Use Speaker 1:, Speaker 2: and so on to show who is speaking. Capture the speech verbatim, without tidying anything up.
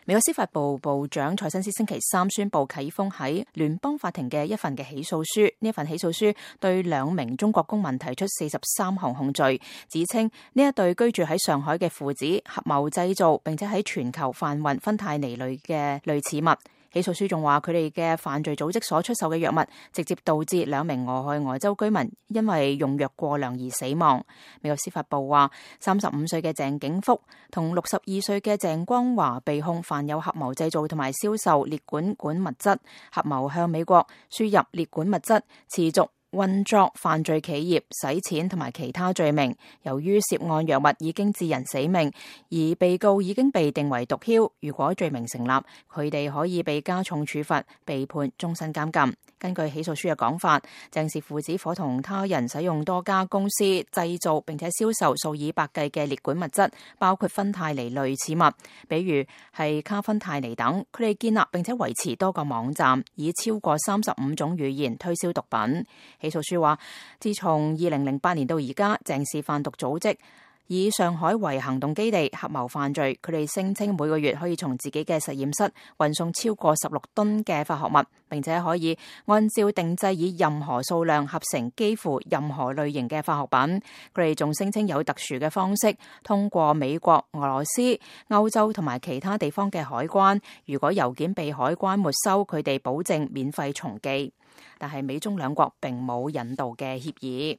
Speaker 1: 美國司法部部長蔡新斯星期三宣布啟封喺聯邦法庭嘅一份嘅起訴書，呢一份起訴書對兩名中國公民提出四十三項控罪，指稱呢一對居住喺上海嘅父子合謀製造並且喺全球販運芬太尼類嘅類似物。起訴書仲話佢哋嘅犯罪組織所出售嘅藥物直接導致兩名俄亥俄州居民因為用藥過量而死亡。美國司法部話，三十五歲嘅鄭景福同六十二歲嘅鄭光華被控犯有合謀製造同埋銷售列管管物質，合謀向美國輸入列管物質，持續運作犯罪企業、洗錢同埋其他罪名。由於涉案藥物已經致人死命，而被告已經被定為毒梟，如果罪名成立，佢哋可以被加重處罰，被判終身監禁。根據起訴書嘅講法，鄭氏父子伙同他人使用多家公司製造並且銷售數以百計嘅列管物質，包括芬太尼類似物，比如係卡芬太尼等。佢哋建立並且維持多個網站，以超過三十五種語言推銷毒品。起訴書話，自從二零零八年到而家，鄭氏販毒組織以上海為行動基地，合謀犯罪。佢哋聲稱每個月可以從自己嘅實驗室運送超過十六噸嘅化學物，並且可以按照定製以任何數量合成幾乎任何類型嘅化學品。佢哋仲聲稱有特殊嘅方式通過美國、俄羅斯、歐洲同埋其他地方嘅海關。如果郵件被海關沒收，佢哋保證免費重寄。但係美中兩國並冇引渡嘅協議。